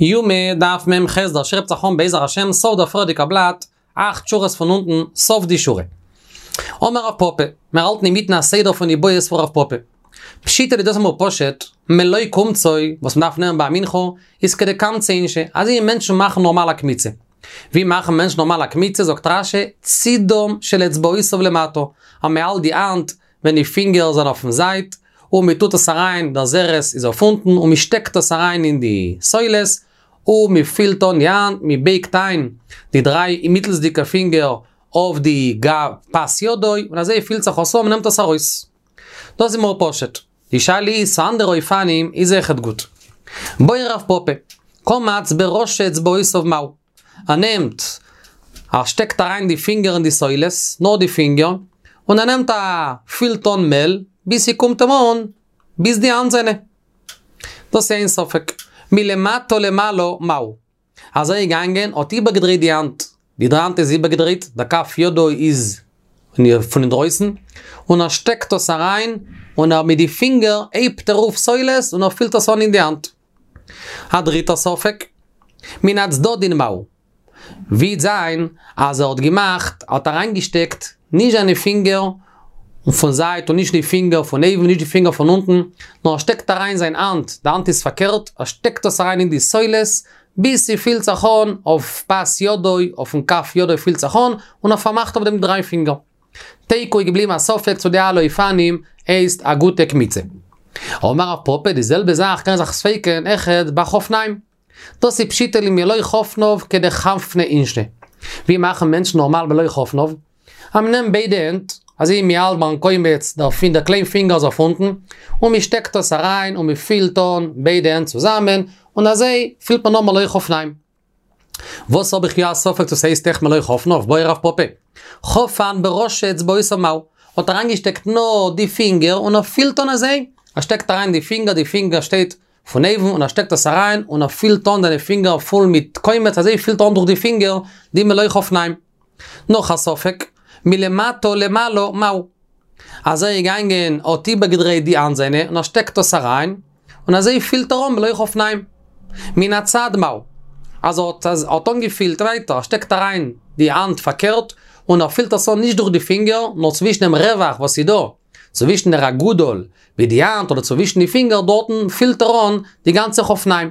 יומא דף מ"ח דער שיעור הייבט זיך אן בעזר השם סוף דער פריערדיגער בלאט, אכט שורות פון אונטן, סוף די שורה. אמר רב פפא, מיר האלטן אינמיטן א סדר פון איבעיות פון רב פפא. פשיטא לי דאס איז אמאל פשוט, מלא קומצו, וואס מ'דארף נעמען ביי א מנחה, איז כדקמצי אינשי, אזוי ווי מענטשן מאכן נארמאל א קמיצה. ווי מאכן מענטשן נארמאל א קמיצה זאגט רש"י, צידם של אצבעותיו למטה, אז מ'האלט די האנט ווען די פינגער זענען אויפן זייט, און מען טוט עס אריין, דער זרת איז אויף אונטן, און מען שטעקט עס אריין אין די סולת, און מען פילט אן די האנט, מען בייגט איין די דריי מיטלסדיגע פינגער אויף די גב פס ידו, און אזוי פילט זיך עס אן, מען נעמט עס ארויס. דאס איז מער פשוט. די שאלה איז צו אנדערע אופנים איז אויכעט גוט. בעי רב פפא, קמץ בראשי אצבעותיו מהו? ער נעמט, ער שטעקט אריין די פינגער אין די סולת, נאר די פינגער, און ער נעמט א פילט אן מעל, ביז ס'קומט אים אן ביז די האנט זיינע. דאס איז איין ספק. מלמטה למעלה מהו? אז ער איז געגאנגען, האט איבערגעדרייט די האנט, די האנט איז איבערגעדרייט, דער כף ידו איז פון אינדרויסן, און ער שטעקט עס אריין, און ער מיט די פינגער הייבט ער אויף סולת און ער פילט עס אן אין די האנט. א דריטער ספק, מן הצדדין מהו? וועט זיין אז ער האט געמאכט, ער האט אריינגעשטעקט נישט זיינע פינגער פון זייט און נישט די פינגער פון אויבן נישט די פינגער פון אונטן, נאר ער שטעקט אריין זיין האנט, די האנט איז פארקערט, ער שטעקט עס אריין אין די סולת, ביז ס'פילט זיך אן אויף פס ידו, אויפן כף ידו פילט זיך אן, און ער פארמאכט אויף דעם דריי פינגער. תיקו איז געבליבן א ספק צו די אלע אופנים הייסט א גוטע קמיצה. אמר רב פפא די זעלבע זאך קען זיך ספיק'ן אויכעט ביי חפניים. דאס איז פשיטא לי מלא חפניו כדחמפני אינשי. ווי מאכן מענטשן נארמאל מלא חפניו? אז מ'נעמט ביידע הענט, אזוי ווי מ'האלט ביים קומץ דער פינ דער קליין פינגער איז אויף אונטן, און מ'שטעקט עס אריין און מ'פילט אן ביידע הענט צוזאמען, און אזוי פילט מען אן מלא חפניים. וואס האב איך יא א ספק צו ס'הייסט אויך מלא חפניו? בעי רב פפא. חפן בראשי אצבעותיו מהו. האט אריינגעשטעקט נאר די פינגער און ער פילט אן אזוי. ער שטעקט אריין די פינגער, די פינגער שטייט פון אויבן און ער שטעקט עס אריין און ער פילט אן זיינע פינגער פול מיט קומץ אזוי פילט ער אן דורך די פינגער די מלא חפניים. נאך א ספק, מלמטה למעלה מהו. אז ער איז געגאנגען האט איבערגעדרייט די האנט זיינע און ער שטעקט עס אריין, און אזוי פילט ער אן מלא חפניים. מן הצד מהו. אז ער האט האט אנגעפילט ווייטער, ער שטעקט אריין די האנט פארקערט, און ער פילט עס אן נישט דורך די פינגער, נאר צווישן דעם רווח וואס איז דא, צווישן דער אגודל מיט די האנט אדער צווישן די פינגער דארטן פילט ער אן די גאנצע חפניים.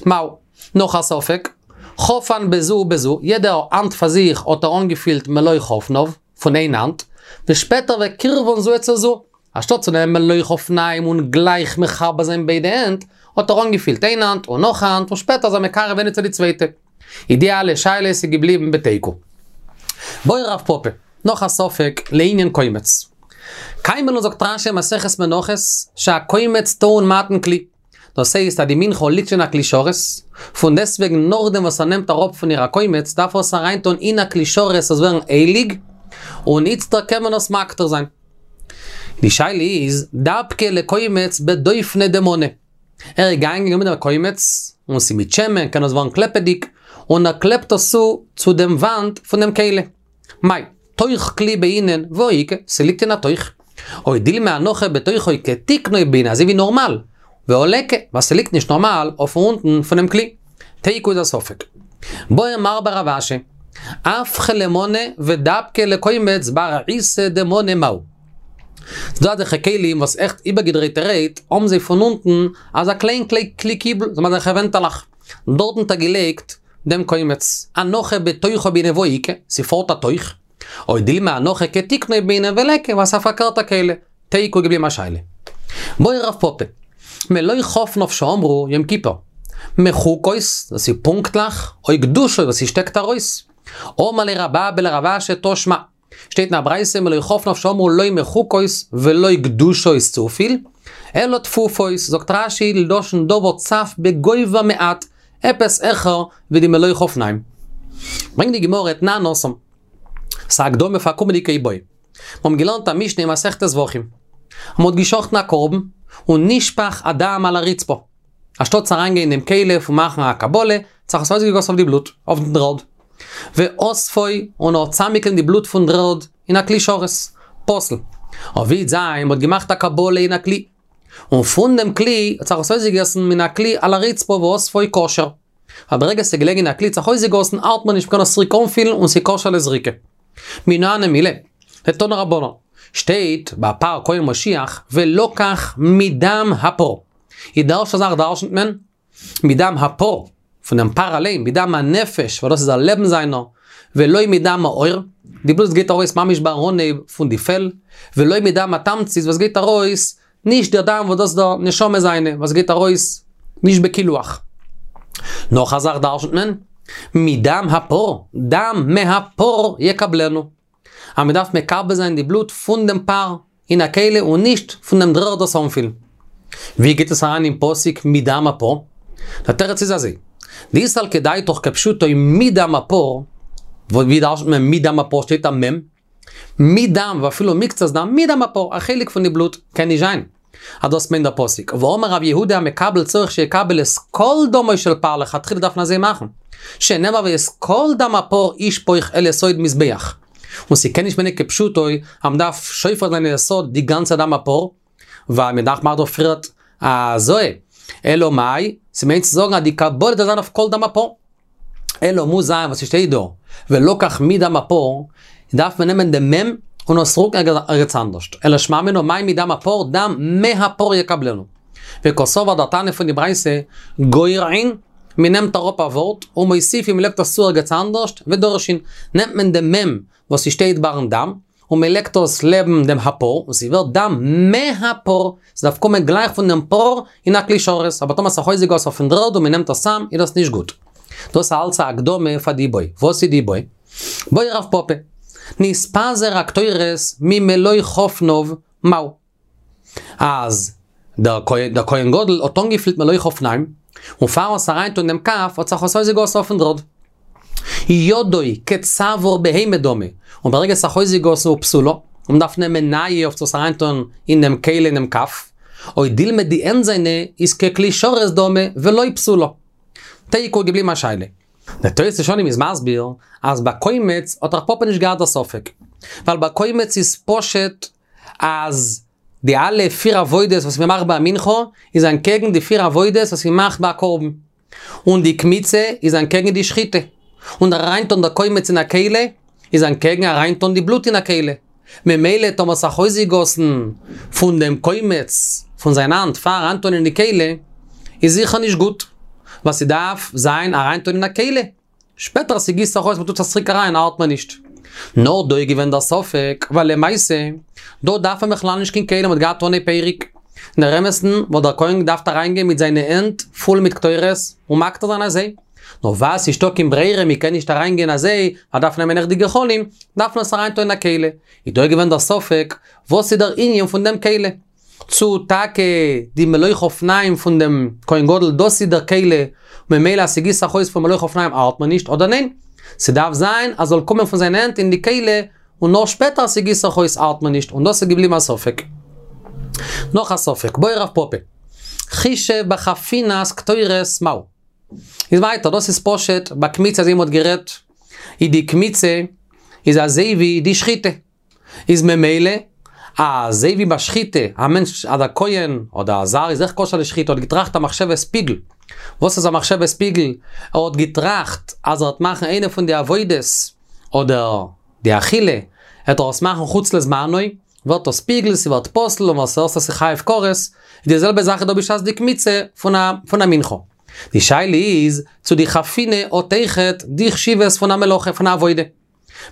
מהו. נאך א ספק, חפן בזו ובזו, יעדע האנט פאר זיך האט ער אנגעפילט מלא חפניו, פון איין האנט, ושפעטער וקירבן זו אצל זו, אנשטאט צו נעמען מלא חפניים און גלייך מחבר זיין ביידע הענט, האט ער אנגעפילט איין האנט און נאך א האנט און שפעטער איז ער מקרב איינע צו די צווייטע. איז די אלע שאלות איז געבליבן בתיקו. בעי רב פפא, נאך א ספק לענין קומץ. קיימא לן זאגט רש"י מסכת מנחות, שהקומץ טעון מתן כלי. דאס הייסט אז די מנחה ליגט שוין אין א כלי שרת, פון דעסטוועגן נאכדעם וואס ער נעמט אראפ פון איר א קומץ דארף ער עס אריינטון אין א כלי שרת עס זאל ווערן הייליג, און איצטער קען מען עס מקטיר זיין. די שאלה איז, דבקיה לקומץ בדופנא דמנא. ער איז געגאנגען גענומען דעם קומץ, און ס'איז מיט שמן קען עס ווערן קלעפעדיג, און ער קלעפט עס צו צו דעם וואנט פון דעם כלי. מאי, תוך כלי בעינן והא איכא, ס'ליגט אין א תוך. או דילמא הנחה בתוכו כתיקנו בעינן, אזוי ווי נארמאל, והא ליכא, ווייל ס'ליגט נישט נארמאל אויפן אונטן פונעם כלי. תיקו איז א ספק. בעי מר בר רב אשי, הפכיה למנא ודבקיה לקומץ בארעיתא דמנא מהו. ס'דא אזעלכע כלים וואס עכט איבערגעדרייטערהייט האבן זיי פון אונטן אזא קליין כלי קיבול, זיי האבן אזעלכע ווענטעלעך. דארטן האט ער געלייגט דעם קומץ, הנחה בתוכו בעינן והא איכא, ס'פארט א תוך, או דילמא הנחה כתיקנו בעינן וליכא, ווייל ס'איז א פארקערטע כלי, תיקו געבליבן א שאלה. בעי רב פפא, מלא חפניו שאמרו יום כיפור, מחוקות, דאס איז פונקטליך, או גדושות וואס ס'שטעקט ארויס. אמר ליה רב אבא לרב אשי תא שמע. שטייט אין א ברייתא מלא חפניו שאמרו לא מחוקות ולא גדושות צופיל, אלא טפופות, זאגט רש"י לשון דבר צף בגובה מעט, עפעס העכער ווי די מלא חפניים. ברענגט די גמרא תנן התם. ס'א הקדמה פאר קומענדיגע איבעיא. מיר האבן געלערנט א משנה אין מסכת זבחים. אז מ'האט געשחטן א קרבן, און נשפך הדם על הרצפה. אנשטאט צו אריינגיין אין דעם כלי פון מאכן א קבלה, האט זיך עס אויסגעגאסן אויף די בלוט, אויף דעם דר'ערד. ואספו, און ער האט צאמגעקליבן די בלוט פון דר'ערד אין א כלי שרת. פסול. אבער ווי זיין מ'האט געמאכט א קבלה אין א כלי. און פון דעם כלי האט זיך עס אויסגעגאסן מן הכלי על הרצפה ואספו כשר. ווייל ברגע ס'איז געלעגן אין א כלי האט זיך אויסגעגאסן ארט מיר נישט מ'קען עס צוריק אנפילן און ס'איז כשר לזריקה. מנא הני מילי, דתנו רבנן, שטייט ביי פר כהן משיח ולקח מדם הפר. איז די ערשטע זאך דרשנ'ט מען מדם הפר, פון דעם פר אליין, מדם הנפש, ווייל דאס איז א לעבן זיינער, ולא מדם העור, די בלוט וואס גייט ארויס ממש ביים אנהייב פון די פעל, ולא מדם התמצית וואס גייט ארויס, נישט דער דם וואס דאס איז דער נשמה זיינע, וואס גייט ארויס נישט בקילוח. נאך א זאך דרשנ'ט מען, מדם הפר, דם מהפר יקבלנו. אז מען דארף מקבל זיין די בלוט פון דעם פר אין א כלי און נישט פון דעם דרערד דאס אנפילן. ווי גייט עס אריין אין פסוק מדם הפר? דער תירוץ איז אזוי, דאי סלקא דעתך כפשוטו מדם הפר, ווי דרש'נט מען מדם הפר שטייט א מ', מדם ואפילו מקצת דם, מדם הפר, א חלק פון די בלוט, קען נישט זיין אז דאס מיינט דער פסוק, והאמר רב יהודה המקבל צריך שיקבל את כל דמו של פר לכתחילה דארף מען אזוי מאכן, שנאמר ואת כל דם הפר ישפוך אל יסוד מזבח, און ס'קען נישט מיינען כפשוטו אז מ'דארף שופך זיין אין יסוד די גאנצע דם הפר, ווייל מ'דארף מאכן דא פריערט א הזאה, אלא מאי, ס'מיינט צו זאגן אז די קבלה דארף זיין אויף כל דם הפר. אלא מוז זיין וואס ס'שטייט דא, ולקח מדם הפר, דארף מען נעמען דעם מ' און עס רוקן ערגעץ אנדערשט, אלא שמע מינה מאי מדם הפר, דם מהפר יקבלנו. וקסבר דער תנא פון די ברייתא, גורעין, מען נעמט אראפ א ווארט, ומוסיפין מען לייגט עס צו ערגעץ אנדערשט, ודורשין, נעמט מען דעם מ' וואס ס'שטייט ביים דם, און מען לייגט עס לעבן דעם הפר, און ס'ווערט דם מהפר, ס'דארף קומען גלייך פון דעם פר אין א כלי שרת, אבער טאמער ס'איז אויסגעגאסן אויפן דר'ערד און מען נעמט עס צאם, איז דאס נישט גוט. דאס איז אלץ א הקדמה פאר די איבעיא. וואס איז די איבעיא? בעי רב פפא, נתפזר הקטורת ממלא חפניו מהו? אז דער כהן גדול האט אנגעפילט מלא חפניים, און פארן עס אריינטון אין דעם כף האט זיך עס אויסגעגאסן אויפן דר'ערד. ידו כצוואר בהמה דמי, און ברגע עס האט זיך אויסגעגאסן ופסולה, און מ'דארף נעמען נייע אויף צו עס אריינטון אין דעם כלי אין דעם כף, או דילמא די הענט זיינע איז ככלי שרת דמי ולא פסולה. תיקו געבליבן א שאלה. דער תוס' ישנים איז מסביר אז ביי קומץ האט רב פפא נישט געהאט דער ספק, ווייל ביי קומץ איז פשוט אז די אלע פיר עבודות וואס מ'מאכט ביי א מנחה איז אנטקעגן די פיר עבודות וואס מ'מאכט ביי א קרבן. און די קמיצה איז אנטקעגן די שחיטה. און דער אריינטון דער קומץ אין א כלי איז אנטקעגן אריינטון די בלוט אין א כלי. ממילא טאמער ס'האט זיך אויסגעגאסן פון דעם קומץ פון זיין האנט פאר אריינטון אין די כלי, איז זיכער נישט גוט. ווייל ס'דארף זיין אריינטון אין א כלי. שפעטער אז ס'גיסט זיך אויס מ'טוט עס צוריק אריין ארט מען נישט. נאר דא איז געווען דער ספק, ווייל למעשה, דא דארף מען בכלל נישט קיין כלים מ'האט געהאט אנהייב פרק. אין דער אמת'ן וואלט דער כהן געדארפט אריינגיין מיט זיינע הענט פול מיט קטורת און מקטיר זיין אזוי. נאר ווייל ס'איז נישטא קיין ברירה מ'קען נישט אריינגיין אזוי, מ'דארף נעמען עכט די גחלים, דארף מען עס אריינטון אין א כלי. איז דא געווען דער ספק, וואס איז דער ענין פון דעם כלי? צו טאקע די מלא חפניים פון דעם כהן גדול דאס איז דער כלי, ממילא אז ס'גיסט זיך אויס פון מלא חפניים ארט מען נישט, אדער ניין? ס'דארף זיין אז זאל קומען פון זיין הענט אין די כלי, און נאר שפעטער אז ס'גיסט זיך אויס ארט מען נישט, און דאס איז געבליבן א ספק. נאך א ספק, בעי רב פפא, חישב בחפינת קטורת מהו. איז ווייטער, דאס איז פשוט, ביי קמיצה אזוי ווי מ'האט גערעדט, איז די קמיצה איז אזוי ווי די שחיטה. איז ממילא, אזוי ווי ביי שחיטה, א מענטש אדער כהן אדער א זר איז אויך כשר לשחיטה האט געטראכט א מחשבת פיגול. וואס איז א מחשבת פיגול? ער האט געטראכט אז ער וועט מאכן איינע פון די עבודות, אדער די אכילה, וועט ער עס מאכן חוץ לזמנו, ווערט עס פיגול, ס'ווערט פסול, און וואס עס איז חייב כרת, איז די זעלבע זאך איז דא בשעת די קמיצה פון א מנחה. די שאלה איז, צו די חפינה האט אויכעט די חשיבות פון א מלאכה, פון א עבודה.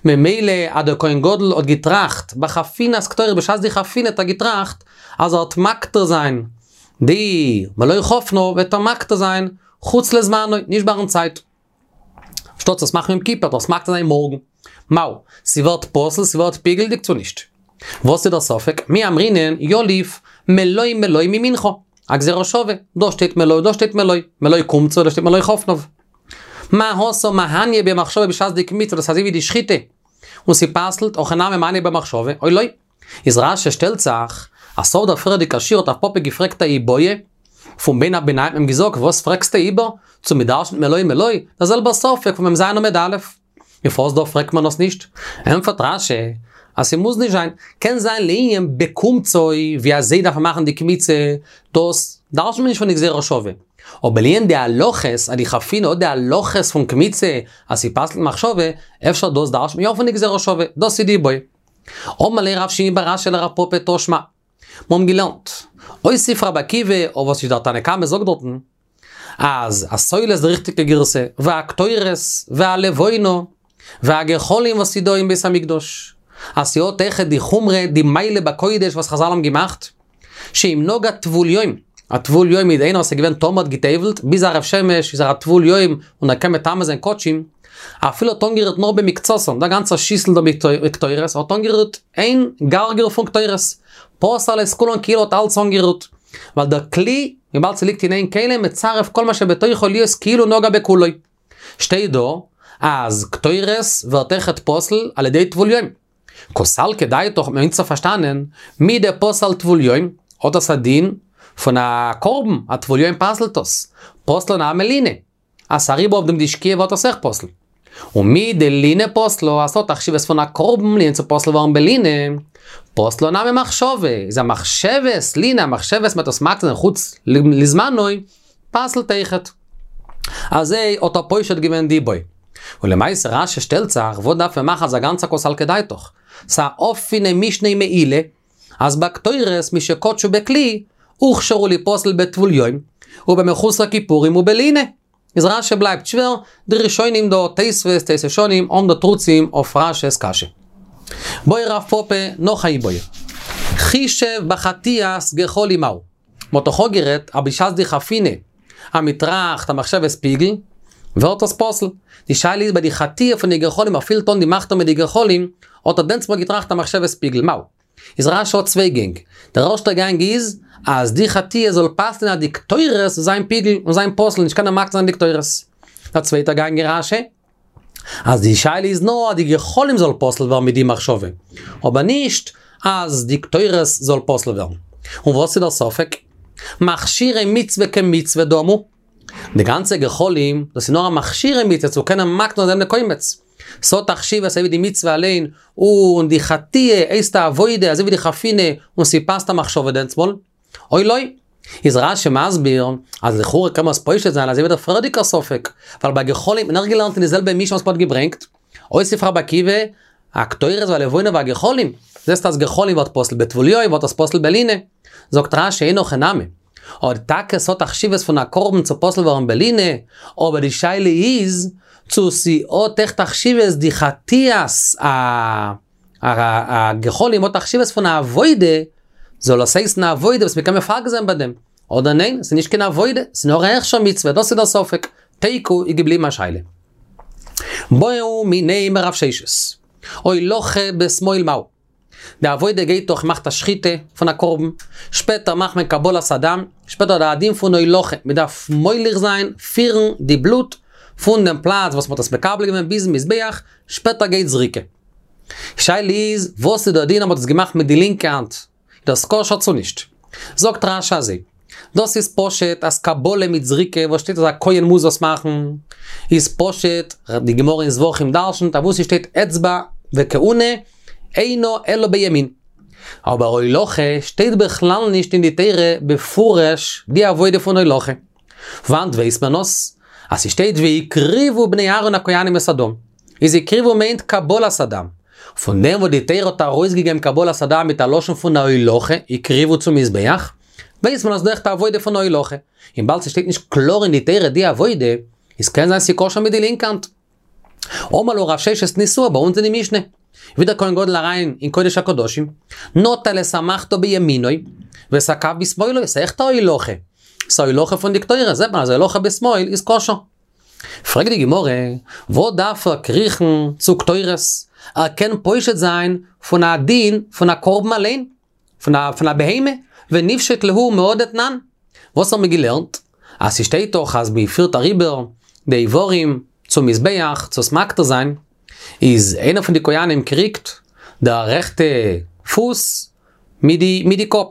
ממילא אז דער כהן גדול האט געטראכט בחפינת קטורת בשעת די חפינה האט ער געטראכט אז ער וועט מקטיר זיין די מלא חפניו וועט ער מקטיר זיין חוץ לזמנו נישט ביים צייט אנשטאט עס מאכן יום כיפור דאס מקטיר זיין מארגן מהו ס'ווערט פסול ס'ווערט פיגול'דיג צו נישט וואס איז דער ספק מי אמרינן יליף מלא מלא ממנחה א גזירה שווה דא שטייט מלא דא שטייט מלא מלא קומצו דא שטייט מלא חפניו. מה התם מהניא ביה במחשבה בשעת די קמיצה דאס אזוי ווי די שחיטה און ס'פסל'ט הכא נמי מהניא ביה במחשבה או לא. איז רש"י שטעלט זיך אז סוף דער פריערדיגע שיעור האט רב פפא געפרעגט א איבעיא פון בין הערביים האט מען געזאגט וואס פרעגסטו איבער צו מ'דרש'נט מלא מלא דער זעלבער ספק פון מ"ז עמוד א'. און פארוואס דא פרעגט מען עס נישט? ענטפערט רש"י אז ס'מוז נישט זיין, קען זיין לענין בקומצו ווי אזוי דארף מען מאכן די קמיצה, דאס דרש'נט מען נישט פון די גזירה שווה. אבער לענין די הלכות, אז די חפינה האט די הלכות פון קמיצה, אז ס'פסל'ט מחשבה, אפשר דאס דרש'נט מען יא פון די גזירה שווה, דאס איז די איבעיא. אמר ליה רב שימי בר אשי לרב פפא תא שמע. מיר האבן געלערנט. הוסיף רבי עקיבא, אויף וואס איז דער תנא קמא זאגט דארטן, אז הסולת די ריכטיגע גירסא, והקטורת, והלבונה, והגחלים וואס איז דא אין בית המקדש, אז ס'האט אויכעט די חומרא, די מעלה בקודש וואס חזל האבן געמאכט, שאם נגע טבול יום, א טבול יום איז איינער וואס איז געווען טמא האט גע'טובל'ט, ביז הערב שמש איז ער א טבול יום און ער קען מטמא זיין קדשים, אפילו האט אנגערירט נאר במקצתן, דער גאנצער שיסל דא מיט קטורת, האט אנגערירט איין גרגר פון קטורת, פסל את כולן כאילו האט אלץ אנגערירט, ווייל דער כלי, וויבאלד ס'ליגט אין איין כלי, מצרף כל מה שבתוכו להיות כאילו נגע בכולו. שטייט דא אז קטורת ווערט אויכעט פסול על ידי טבול יום. קא סלקא דעתך האט מען איצטער פארשטאנען, מדפסל טבול יום, האט עס א דין פון א קרבן, א טבול יום פסל'ט עס. פסלה נמי לינה. אז ס'אריבער אויף דעם די שקיעה ווערט עס אויך פסול. ומדלינה פסלה, אז ס'האט א חשיבות פון א קרבן לינה צו פסול ווערן בלינה, פסלה נמי מחשבה, איז א מחשבת לינה, א מחשבת מ'האט עס מקטיר זיין חוץ לזמנו, פסל'ט אויכעט. אזוי האט ער פושט געווען די איבעיא. און למעשה רש"י שטעלט זיך, וואס דארף מען מאכן אזא גאנצע קא סלקא דעתך? ס'א אפענע משנה אין מעילה, אז בקטורת משקדשו בכלי, הוכשרו ליפסל בטבול יום, ובמחוסר כיפורים ובלינה. איז רש"י בלייבט שווער, די ראשונים דא, תוספות, תוס' ישנים, האבן דא תרוצים אויף רש"י'ס קשיא. בעי רב פפא נאך א איבעיא. חישב בחטיית גחלים מהו. מ'האט דאך אפגערעדט אז בשעת די חפינה אז מ'טראכט א מחשבת פיגול, ווערט עס פסול. די שאלה איז ביי די חטיה פון די גחלים ער פילט אן די מחתה מיט די גחלים, האט ער דענסטמאל געטראכט א מחשבת פיגול, מהו? איז רש"י האט צוויי גענג. דער ערשטער גאנג איז, אז די חטיה זאל פסל'ן אז די קטורת זאל זיין פיגול און זיין פסול נישט קענען מקטיר זיין די קטורת. דער צווייטער גאנג אין רש"י, אז די שאלה איז נאר אז די גחלים זאל פסול ווערן מיט די מחשבה, אבער נישט אז די קטורת זאל פסול ווערן. און וואס איז דער ספק? מכשירי מצוה כמצוה דמו. די גאנצע גחלים, דאס איז נאר א מכשירי מצוה צו קענען מקטיר זיין די קומץ. ס'האט א חשיבות אזוי ווי די מצוה אליין, און די חטיה הייסט א עבודה אזוי ווי די חפינה און ס'פאסט א מחשבה דענסמאל. או לא. איז רש"י מסביר אז לכאורה קען מען עס פושט זיין אזוי ווי דער פריערדיגער ספק, ווייל ביי גחלים האט מען אויך געלערנט אין די זעלבע משנה וואס מ'האט געברענגט, הוסיף רבי עקיבא, הקטורת והלבונה והגחלים, זעסט אז גחלים ווערט פסול בטבול יום ווערט עס פסול בלינה. זאגט רש"י אין הכי נמי. אויב טאקע ס'האט א חשיבות פון א קרבן צו פסול ווערן בלינה, אבער די שאלה איז צו ס'האט עכט א חשיבות די חטיית הגחלים האט א חשיבות פון א עבודה, זאל עס הייסן א עבודה וואס מ'קען מפגל זיין ביי דעם, אדער ניין, ס'איז נישט קיין עבודה, ס'איז נאר א הכשר מצוה, דאס איז דער ספק. תיקו איז געבליבן א שאלה. בעו מיניה מרב ששת. הולכה בשמאל מהו. די עבודה גייט דאך מ'מאכט א שחיטה פון א קרבן, שפעטער מאכט מען קבלת הדם, שפעטער די דין פון הולכה, מען דארף מוליך זיין, פירן, די בלוט פון דעם פלאץ וואס מען האט עס מקבל געווען ביזן מזבח, שפעטער גייט זריקה. שאלה איז, וואס איז דער דין אז מען האט עס געמאכט מיט די לינקע האנט? איז דאס כשר צו נישט? זאגט רש"י אזוי, דאס איז פשוט אז קבלה מיט זריקה וואס שטייט אז א כהן מוז עס מאכן, איז פשוט, די גמרא אין זבחים דרשנ'ט אז וואו ס'שטייט אצבע וכהונה אינו אלא בימין. אבער הולכה שטייט בכלל נישט אין די תורה בפירוש די עבודה פון הולכה. וואנט ווייסט מען עס? אז ס'שטייט והקריבו בני אהרן הכהנים את הדם. איז הקריבו מיינט קבלת הדם. פון דעם וואס די תורה האט ארויסגעגעבן קבלת הדם מיט א לשון פון א הולכה, הקריבו צום מזבח, ווייסט מען אז דא אויכעט א עבודה פון הולכה. און וויבאלד ס'שטייט נישט קלאר אין די תורה די עבודה, איז קען זיין ס'כשר מיט די לינקע האנט. אמר לו רב ששת תניתוה ביי אונז אין די משנה. ווי דער כהן גדול אריין אין קודש הקדשים, נטל את המחתה בימינו, ואת הכף בשמאלו, ס'איז עכט א הולכה. ס'איז א הולכה פון די קטורת, זעט מען אז הולכה בשמאל איז כשר. פרעגט די גמרא, וואס דארף ער קריכן צו קטורת? ער קען פושט זיין פון א דין פון א קרבן אליין, פון א פון א בהמה, וניפשוט להו מהא דתנן. וואס האבן מיר געלערנט? אז ס'שטייט דאך אז מ'פירט אריבער די איברים צום מזבח צו עס מקטיר זיין, איז איינער פון די כהנים קריגט די רעכטע פוס מיט די מיט די קאפ.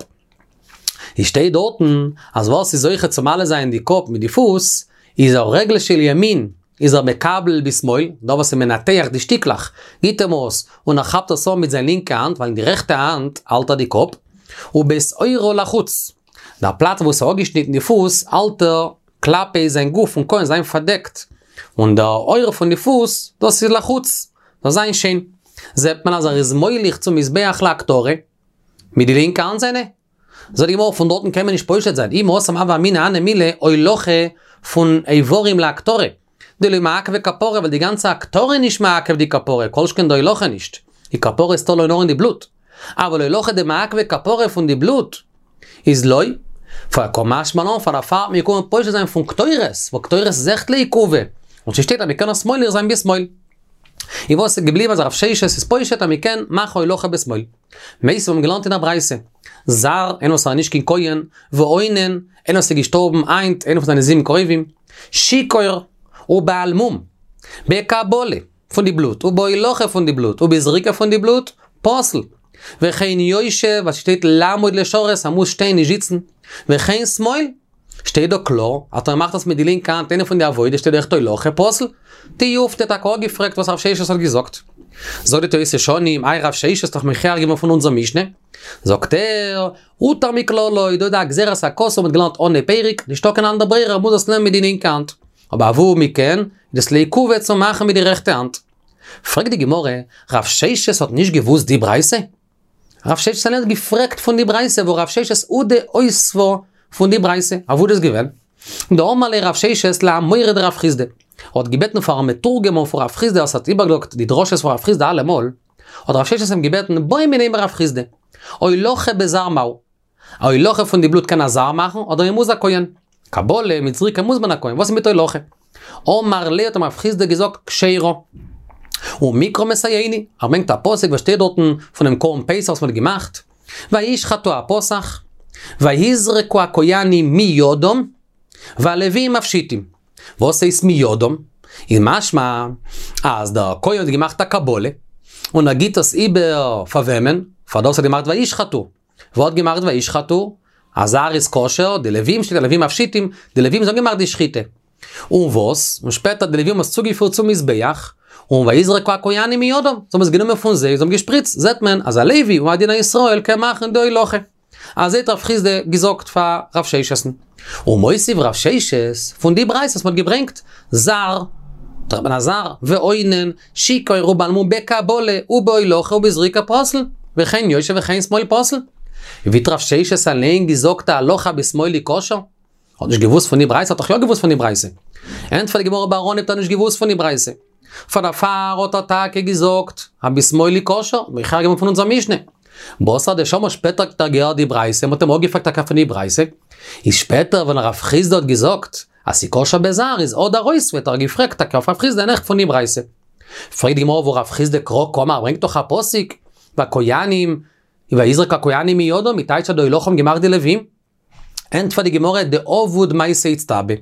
איז שטייט דארטן אז ווער ס'איז זוכה צו מעלה זיין די קאפ מיט די פוס, איז הרגל של ימין איז ער מקבל בשמאל, דער וואס איז מנתח די שטיקלעך, גיט אים עס, און ער כאפט עס אן מיט זיין לינקע האנט, ווייל אין די רעכטע האנט האלט ער די קאפ, ובית עורו לחוץ, דער פלאץ וואו ס'איז אפגעשניטן די פוס האלט ער. כלפי זיין גוף פון כהן זיין פארדעקט, און דער עור פון די פוס, דאס איז לחוץ, זאל זיין שיין. זעט מען אז ער איז מוליך צום מזבח להקטרה, מיט די לינקע האנט זיינע. זאגט די גמרא פון דארטן קען מען נישט פושט זיין, אי מהתם הוה אמינא הני מילי הולכה פון איברים להקטרה, דלא מעכבא כפרה ווייל די גאנצע הקטרה איז נישט מעכב די כפרה, כל שכן די הולכה נישט, די כפרה איז תלוי נאר אין די בלוט, אבל הולכה דמעכבא כפרה פון די בלוט איז לא, קא משמע לן פאר דערפאר האט מען געקומען פושט זיין פון קטורת, ווייל קטורת איז עכט לעיכובא, און ס'שטייט אז מ'קען עס מוליך זיין בשמאל. און וואס איז געבליבן אז רב ששת איז פושט אז מ'קען מאכן הולכה בשמאל. מיתיבי האבן געלערנט אין א ברייתא. זר, איינער וואס איז נישט קיין כהן, ואונן, איינער וואס איז געשטארבן היינט, איינער פון זיינע זיבן קרובים, שיכור, ובעל מום, בקבלה, פון די בלוט, ובהולכה פון די בלוט, ובזריקה פון די בלוט, פסול. וכן יושב, וואס שטייט לעמוד לשרת, ער מוז שטיין נישט זיצן. וכן שמאל. שטייט דא קלאר, אז ער מאכט עס מיט די לינקע האנט איינע פון די עבודות שטייט אויכעט הולכה פסול. תיובתא טאקע אפגעפרעגט וואס רב ששת האט געזאגט. זאגט די תוס' שנים, איי רב ששת האט דאך מוכיח געווען פון אונזער משנה? זאגט ער, הותר מכללו, דא איז דא א גזירת הכתוב מ'האט געלערנט אנהייב פרק, נישטא קיין אנדער ברירה ער מוז עס נעמען מיט די לינקע האנט. אבער אוואו מ'קען, איז דאס לעיכובא צו מאכן מיט די רעכטע האנט. פרעגט די גמרא, רב ששת האט נישט געוואוסט די ברייתא? רב ששת אליין האט געפרעגט פון די ברייתא והא רב ששת הוא דאותבא פון די ברייתא, אוואו איז דאס געווען? דאמר ליה רב ששת לאמורא דרב חסדא, ער האט געבעטן פארן מתורגמן פון רב חסדא וואס האט איבערגעזאגט די דרשות פון רב חסדא אלעמאל, האט רב ששת אים געבעטן בעי מיניה מרב חסדא, הולכה בזר מהו, א הולכה פון די בלוט קען א זר מאכן אדער מען מוז א כהן? קבלה מיט זריקה מוז מען א כהן, וואס איז מיט הולכה? אמר ליה האט אים רב חסדא געזאגט כשרה. ומקרא מסייעני, ער ברענגט א פסוק וואס שטייט דארטן פונעם קרבן פסח וואס מען האט געמאכט, וישחטו הפסח, ויזרקו הכהנים מידם, והלוויים מפשיטים. וואס הייסט מידם? איז משמע אז דער כהן האט געמאכט א קבלה, און ער גיבט עס איבער פאר וועמען? פאר דער וואס האט געמאכט וישחטו. ווער האט געמאכט וישחטו? א זר איז כשר, די לווים שטייט הלווים מפשיטים, די לווים זיי האבן געמאכט די שחיטה. און וואס? און שפעטער די לווים האבן עס צוגעפירט צום מזבח, און ויזרקו הכהנים מידם, זיי האבן עס גענומען פון זיי, זיי האבן געשפריצט, זעט מען אז א לוי הוא הדין א ישראל קען מאכן די הולכה. אזוי האט רב חסדא געזאגט פאר רב ששת'ן. ומוסיף רב ששת, פון די ברייתא וואס מ'האט געברענגט, זר, טרעפט מען א זר, ואונן, שיכור ובעל מום בקבלה ובהולכה ובזריקה פסול, וכן יושב וכן שמאל פסול. ווי האט רב ששת אליין געזאגט א הלכה בשמאל היא כשר? האט נישט געוואוסט פון די ברייתא? האט דאך יא געוואוסט פון די ברייתא. ענטפערט די גמרא בר אנהייב האט ער נישט געוואוסט פון די ברייתא. פאר דערפאר האט ער טאקע געזאגט אז בשמאל היא כשר, מוכיח געווען פון אונזער משנה. בתר דשמע שפעטער האט ער געהערט די ברייתא, מ'האט אים אפגעפרעגט טאקע פון די ברייתא. איז שפעטער ווען רב חסדא האט געזאגט אז ס'איז כשר בזר איז הדר אותביה האט ער געפרעגט טאקע אויף רב חסדא און עכט פון די ברייתא. פרעגט די גמרא והא רב חסדא קרא קאמר ברענגט דאך א פסוק והכהנים ויזרקו הכהנים מידם מ'טייטשט אז די הולכה האבן געמאכט די לווים. ענטפערט די גמרא דעבוד מעשה איצטבא.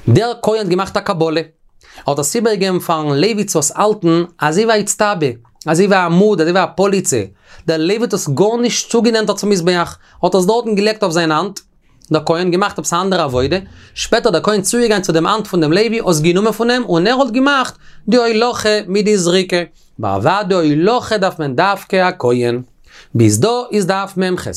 דער כהן האט געמאכט א קבלה. ער האט עס איבערגעגעבן פארן לוי צו עס האלטן אזוי ווי א איצטבא, אזוי ווי א עמוד, אזוי ווי א פאליצע. דער לוי האט עס גארנישט צוגענענטערט צום מזבח, ער האט עס דארטן געלייגט אויף זיין האנט, דער כהן געמאכט עפעס א אנדערע עבודה, שפעטער דער כהן צוגעגאנגען צו דעם האנט פון דעם לוי, עס גענומען פון אים, און ער האט געמאכט די הולכה מיט די זריקה. אבער אוודאי הולכה דארף מען דווקא א כהן. ביז דא איז דף מ"ח.